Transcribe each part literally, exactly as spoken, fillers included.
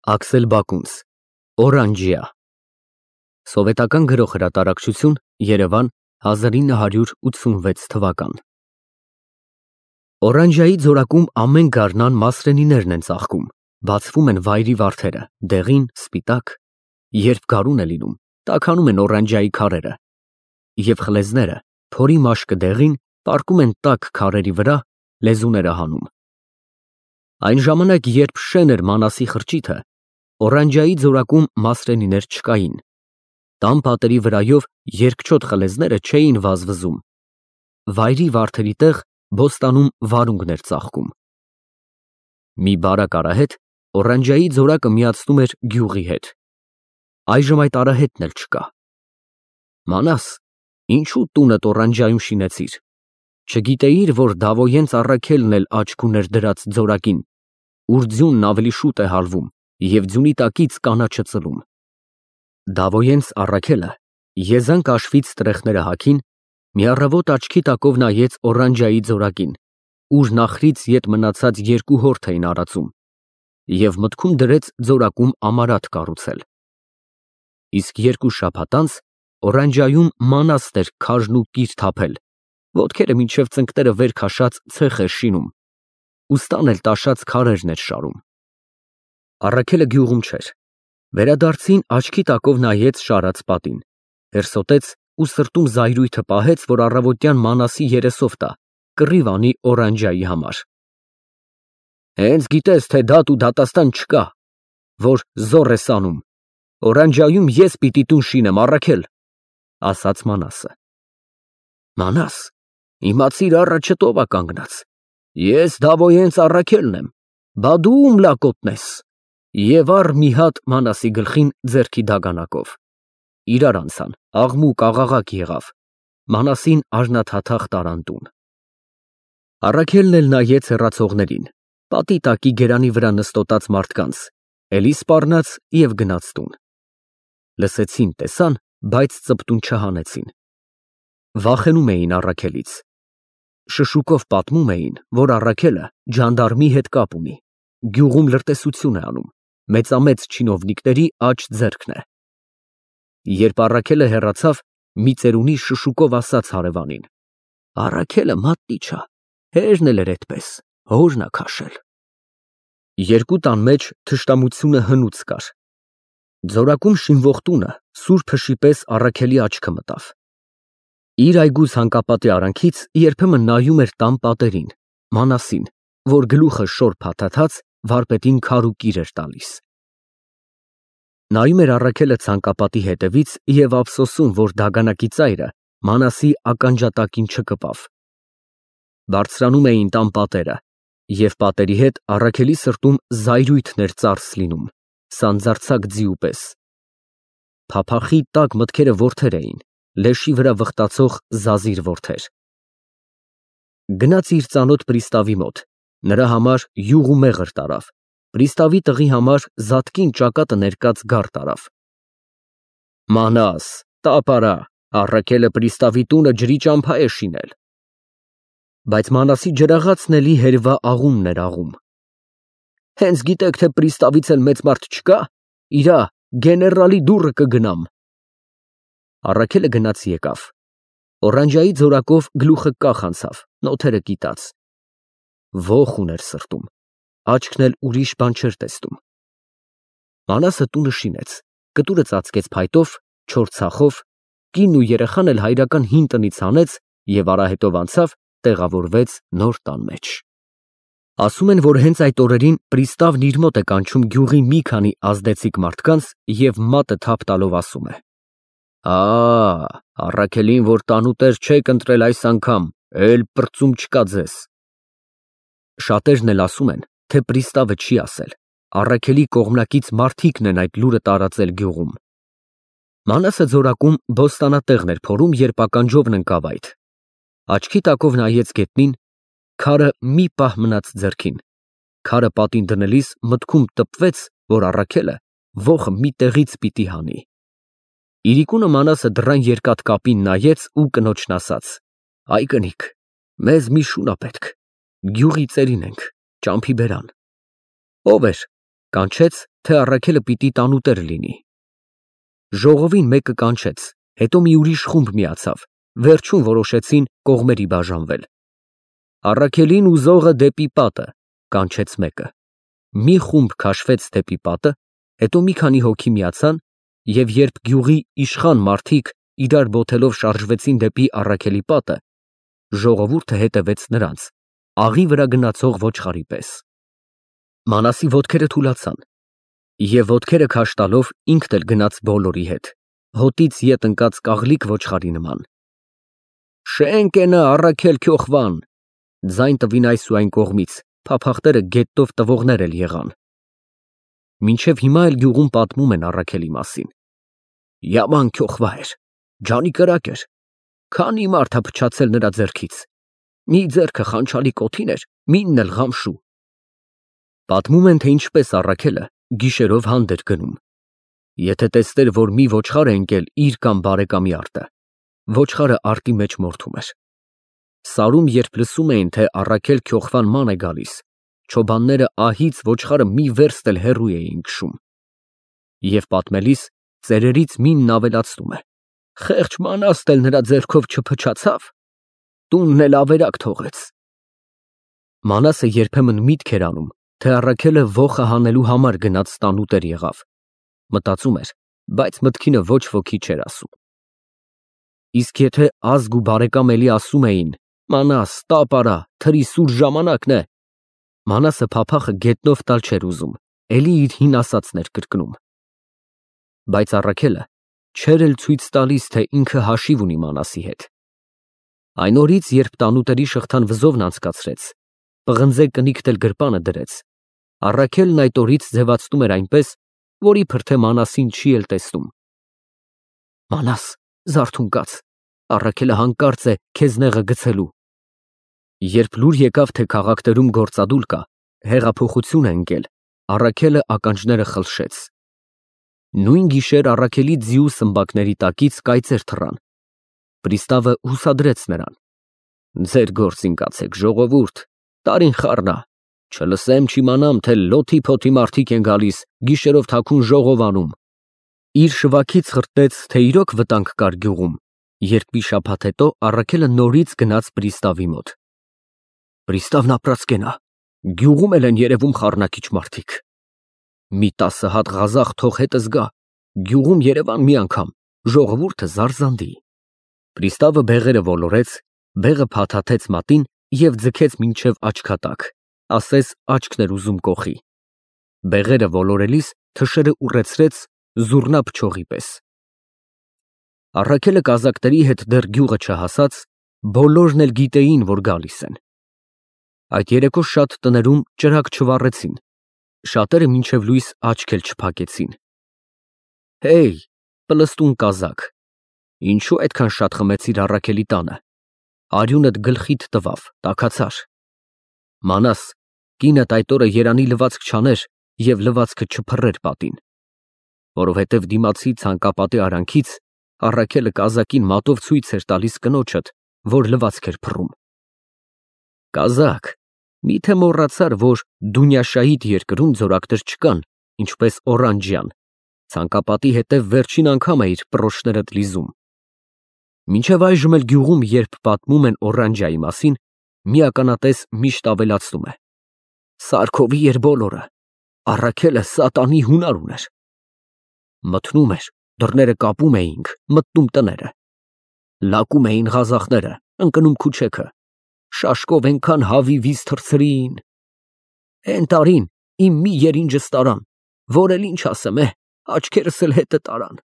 Աքսել Բակունց, Օրանջիա, Սովետական գրող հրատարակչություն, Երևան, հազար ինը հարյուր ութսունվեց թվական։ Օրանջիայի ձորակում ամեն գարնան մասրենիներն են ծաղկում, բացվում են վայրի վարդերը, դեղին, սպիտակ, երբ գարուն է լինում, տաքանում են օրանջիայի քարերը, և խլեզները, փորի մաշկը դեղին, պառկում են տաք քարերի վրա, լեզուները հանում։ Այն ժամանակ, երբ շեն էր Մանասի խրճիթը, Օրանջիայի ձորակում մասրենիներ չկային, տան պատերի վրայով երկչոտ խլեզները չէին վազվզում, վայրի վարդերի տեղ բոստանում վարունգներ ծաղկում։ Մի բարակ արահետ Օրանջիայի ձորակը միացնում էր գյուղի հետ, այժմ այդ արահետն էլ չկա։ Մանաս, ինչու տունդ Օրանջիայում շինեցիր, չգիտեիր, որ Դավոյենց Առաքելն էլ աչք ուներ դրած ձորակին, ուր ձյունն ավելի շուտ է հալվում և ձյունի տակից կանաչը ծլում։ Դավոյենց Առաքելը եզանք աշվից տրեխները հագին, մի առավոտ աչքի տակով նայեց Օրանջիայի ձորակին, ուր նախրից ետ մնացած երկու հորթ էին արածում, և մտքում դրեց ձորակում ամարատ կառուցել։ Իսկ երկու շաբաթ անց Օրանջիայում մանաստ էր քարն ու կիր թափել, ոտքերը մինչև ծնկները վեր քաշած ցեխ էր շինում, ուստան էլ տաշած քարերն էր շարում։ Առաքելը գյուղում չէր, վերադարձին աչքի տակով նայեց շարած պատին, հերսոտեց ու սրտում զայրույթը պահեց, որ առավոտյան Մանասի երեսով տա, կռիվ անի Օրանջիայի համար։ Հենց գիտես, թե դատ ու դատաստան չկա, որ զոռ ես անում, Օրանջիայում ես պիտի տուն շինեմ, Առաքել, ասաց Մանասը։ Մանաս, իմացիր առաջդ ով ա կանգնած, ես Դավոյենց Առաքելն եմ, բա դու ում լակոտն ես։ Եվ առ մի հատ Մանասի գլխին ձեռքի դագանակով։ Իրար անցան, աղմուկ աղաղակ եղավ, Մանասին արնաթաթախ տարան տուն։ Առաքելն էլ նայեց հեռացողներին, պատի տակի գերանի վրա նստոտած մարդկանց, էլի սպառնաց և գնաց տուն։ Լսեցին, տեսան, բայց ծպտուն չհանեցին։ Վախենում էին Առաքելից։ Շշուկով պատմում էին, որ Առաքելը ջանդարմի հետ կապ ունի, գյուղում լրտեսություն է անում, մեծամեծ չինովնիկների աջ ձեռքն է։ Երբ Առաքելը հեռացավ, մի ծերունի շշուկով ասաց հարևանին. Առաքելը մատնի չա, հերն էլ էր էդպես, հորն ա քաշել։ Երկու տան մեջ թշնամությունը հնուց կար։ Ձորակում շինվող տունը սուր փշի պես Առաքելի աչքը մտավ։ Իր այգու ցանկապատի արանքից երբեմն նայում էր տան պատերին, Մանասին, որ գլուխը շոր փաթաթած վարպետին քար ու կիր էր տալիս։ Նայում էր Առաքելը ցանկապատի հետևից և ափսոսում, որ դագանակի ծայրը Մանասի ականջատակին չկպավ։ Բարձրանում էին տան պատերը, և պատերի հետ Առաքելի սրտում զայրույթն էր ծարս լինում, սանձարձակ ձիու պես։ Փափախի տաք մտքերը որդեր էին, լեշի վրա վխտացող զազիր որդեր։ Գնաց իր ծանոթ պրիստավի մոտ, նրա համար յուղ ու մեղր տարավ, պրիստավի տղի համար զատկին ճակատը ներկած գար տարավ։ Մանաս, տապ արա, Առաքելը պրիստավի տունը ջրի ճամփա է շինել։ Բայց Մանասի ջրաղացն էլի հերվա աղումն էր աղում։ Հենց գիտեք, թե պրիստավից էլ մեծ մարդ չկա, իրա գեներալի դուռը կգնամ։ Առաքելը գնաց եկավ։ Օրանջիայի ձորակով գլուխը կախ անցավ, նոթերը կիտած։ Ոխ ուներ սրտում, աչքն էլ ուրիշ բան չէր տեսնում։ Մանասը տունը շինեց, կտուրը ծածկեց փայտով, չոր ցախով, կինն ու երեխան էլ հայրական հին տնից հանեց և արահետով անցավ, տեղավորվեց նոր տան մեջ։ Ասում են, որ հենց այդ օրերին պրիստավն իր մոտ է կանչում գյուղի մի քանի ազդեցիկ մարդկանց և մատը թափ տալով ասում է. Ա, Առաքելին, որ տանուտեր չեք ընտրել այս անգամ, էլ պրծում չկա ձեզ։ Շատերն էլ ասում են, թե պրիստավը չի ասել, Առաքելի կողմնակից մարդիկն են այդ լուրը տարածել գյուղում։ Մանասը ձորակում բոստանատեղն էր փորում, երբ ականջովն ընկավ այդ։ Աչքի տակով նայեց գետնին, քարը մի պահ մնաց ձեռքին, քարը պատին դնելիս մտքում տպվեց, որ Առաքելը ոխը մի տեղից պիտի հանի։ Իրիկունը Մանասը դռան երկաթ կապին նայեց ու կնոջն ասաց. Այ կնիկ, մեզ մի շուն ա պետք, գյուղի ծերին ենք, ճամփի բերան։ Ո՞վ էր։ Կանչեց, թե Առաքելը պիտի տանուտեր լինի։ Ժողովին մեկը կանչեց, հետո մի ուրիշ խումբ միացավ, վերջում որոշեցին կողմերի բաժանվել։ Առաքելին ուզողը դեպի պատը, կանչեց մեկը։ Մի խումբ քաշվեց դեպի պատը, հետո մի քանի հոգի միացան, և երբ գյուղի իշխան մարդիկ իրար բոթելով շարժվեցին դեպի Առաքելի պատը, ժողովուրդը հետևեց նրանց, աղի վրա գնացող ոչխարի պես։ Մանասի ոտքերը թուլացան, և ոտքերը քաշ տալով ինքն էլ գնաց բոլորի հետ, հոտից ետ ընկած կաղլիկ ոչխարի նման։ Շենք ենը Առաքել քյոխվան, ձայն տվին այս ու այն կողմից, փափախտերը գետով տվողներ էլ եղան։ Մինչև հիմա էլ գյուղում պատմում են Առաքելի մասին։ Յաման քյոխվա էր, ջանի կրակ էր, քանի մարդ ա փչացել նրա ձեռքից, մի ձեռքը խանչալի կոթին էր, մինն էլ ղամշու։ Պատմում են, թե ինչպես Առաքելը գիշերով հանդ էր գնում։ Եթե տեսներ, որ մի ոչխար է ընկել իր կամ բարեկամի արտը, ոչխարը արտի մեջ մորթում էր։ Սարում երբ լսում էին, թե Առաքել քյոխվան ման է գալիս, չոբանները ահից ոչխարը մի վերստ էլ հեռու էին քշում։ Եվ պատմելիս ծերերից մինն ավելացնում է. խեղճ Մանաստ էլ նրա ձեռքով չփչացավ, տունն էլ ավերակ թողեց։ Մանասը երբեմն միտք էր անում, թե Առաքելը ոխը հանելու համար գնաց տանուտեր եղավ։ Մտածում էր, բայց մտքինը ոչ ոքի չէր ասում։ Իսկ եթե ազգ ու բարեկամ էլի ասում էին. Մանաս, տապ արա, թրի սուր ժամանակն է, Մանասը փափախը գետնով տալ չէր ուզում, էլի իր հին ասածն էր կրկնում։ Բայց Առաքելը չէր էլ ցույց տալիս, թե ինքը հաշիվ ունի Մանասի հետ։ Այն օրից, երբ տանուտերի շղթան վզովն անցկացրեց, պղնձե կնիկտ էլ գրպանը դրեց, Առաքելն այդ օրից ձևացնում էր այնպես, որ իբր թե Մանասին չի էլ տեսնում։ Մանաս, զարթուն կաց, Առաքելը հանկարծ է քեզ նեղը գցելու։ Երբ լուր եկավ, թե քաղաքներում գործադուլ կա, հեղափոխություն է ընկել, Առաքելը ականջները խլշեց։ Նույն գիշեր Առաքելի ձիու սմբակների տակից կայծեր թռան։ Պրիստավը հուսադրեց նրան. ձեր գործին կացեք, ժողովուրդ, տարին խառնա, չլսեմ չիմանամ, թե լոթի փոթի մարդիկ են գալիս, գիշերով թաքուն ժողով անում։ Իր շվաքից խրտեց, թե իրոք վտանգ կար գյուղում, երբ մի շաբաթ հետո Առաքելը նորից գնաց պրիստավի մոտ։ Պրիստավն ապրած կենա, գյուղում էլ են երևում խառնակիչ մարդիկ։ Մի տասը հատ ղազախ թող հետս գա, գյուղում Երևան մի անգամ, ժողովուրդը զարզանդի։ Պրիստավը բեղերը ոլորեց, բեղը փաթաթեց մատին և ձգեց մինչև աչքատակ, ասես աչքն էր ուզում կոխի։ Բեղերը ոլորելիս թշերը ուռեցրեց զուռնա փչողի պես։ Առաքելը կազակների հետ դեռ գյուղը չհասած, բոլորն էլ գիտեին, որ գալիս են։ Այդ երեկո շատ տներում ճրագ չվառեցին, շատերը մինչև լույս աչք էլ չփակեցին։ Հեյ, պլստուն կազակ, ինչու այդքան շատ խմեցիր Առաքելի տանը, արյունդ գլխիդ տվավ, տաքացար։ Մանաս, կինդ այդ օրը երանի լվացք չաներ և լվացքը չփռեր պատին, որովհետև դիմացի ցանկապատի արանքից Առաքելը կազակին մատով ցույց էր տալիս կնոջդ, որ լվացք էր փռում։ Կազակ, միթե մոռացար, որ Դունյաշահիդ երկրում ձորակներ չկան, ինչպես Օրանջյան, ցանկապատի հետև վերջին անգամ էիր պռոշներդ լիզում։ Մինչև այժմ էլ գյուղում, երբ պատմում են Օրանջայի մասին, մի ականատես միշտ ավելացնում է. Սարքովի էր բոլորը, Առաքելը սատանի հունար ուներ։ Մթնում էր, դռները կապում էինք, մտնում տները։ Լակում էին ղազախները, ընկնում քուչեքը, շաշկով ենքան հավի վիզ թռցրին։ Էն տարին իմ մի երինջս տարան, որ էլ ինչ ասեմ է, աչքերս էլ հետը տարան։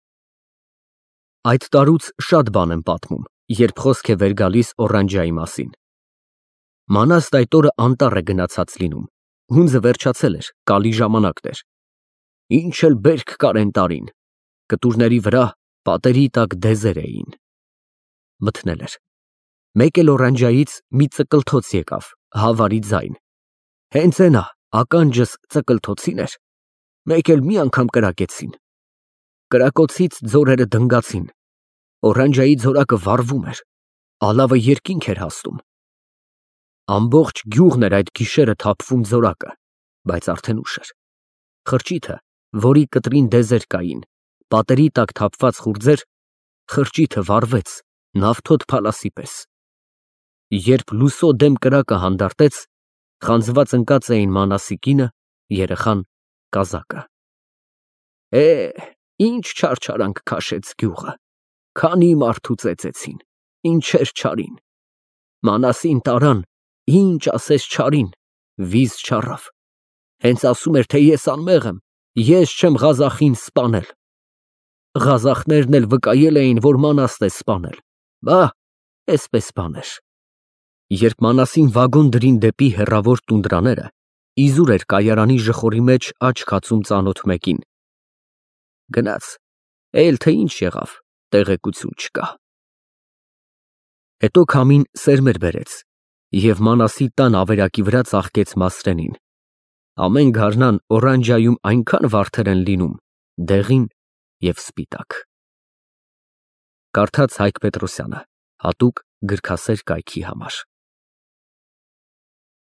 Այդ տարուց շատ բան են պատմում, երբ խոսք է վեր գալիս Օրանջայի մասին։ Մանաստ այդ օրը անտառ է գնացած լինում, հունձը վերջացել էր, կալի ժամանակն էր։ Ինչ էլ բերք կար էն տարին, կտուրների վրա պատերի տակ դեզեր էին։ Մթնել էր։ Մեկ էլ Օրանջայից մի ծկլթոց եկավ, հավարի ձայն։ Հենց էնա, ականջս ծկլթոցին էր, մեկ էլ մի անգամ կրակեցին։ Կրակոցից ձորերը դնգացին, Օրանջայի ձորակը վառվում էր, ալավը երկինք էր հասնում։ Ամբողջ գյուղն էր այդ գիշերը թափվում ձորակը, բայց արդեն ուշ էր։ Խրճիթը, որի կտրին դեզեր կային, պատերի տակ թափված խուրձեր, խրճիթը վառվեց նավթոտ փալասի պես։ Երբ լուսո դեմ կրակը հանդարտեց, խանձված ընկած էին Մանասի կինը, երեխան, կազակը։ Է, ինչ չարչարանք քաշեց գյուղը, քանի մարդու ծեծեցին, ինչեր չարին, Մանասին տարան, ինչ ասես չարին, վիզ չառավ, հենց ասում էր, թե ես անմեղ եմ, ես չեմ Ղազախին սպանել։ Ղազախներն էլ վկայել էին, որ Մանասն է սպանել, բա, էսպես բաներ։ Երբ Մանասին վագոն դրին դեպի հեռավոր տունդրաները, իզուր էր կայարանի ժխորի մեջ աչք ածում ծանոթ մեկին։ Գնաց, էլ թե ինչ եղավ, տեղեկություն չկա։ Հետո քամին սերմեր բերեց, և Մանասի տան ավերակի վրա ծաղկեց Մասրենին։ Ամեն գարնան օրանջայում այնքան վարդեր են լինում, դեղին և սպիտակ։ Կարդաց Հայկ Պետրոսյանը, հատուկ գրքասեր կայքի համար։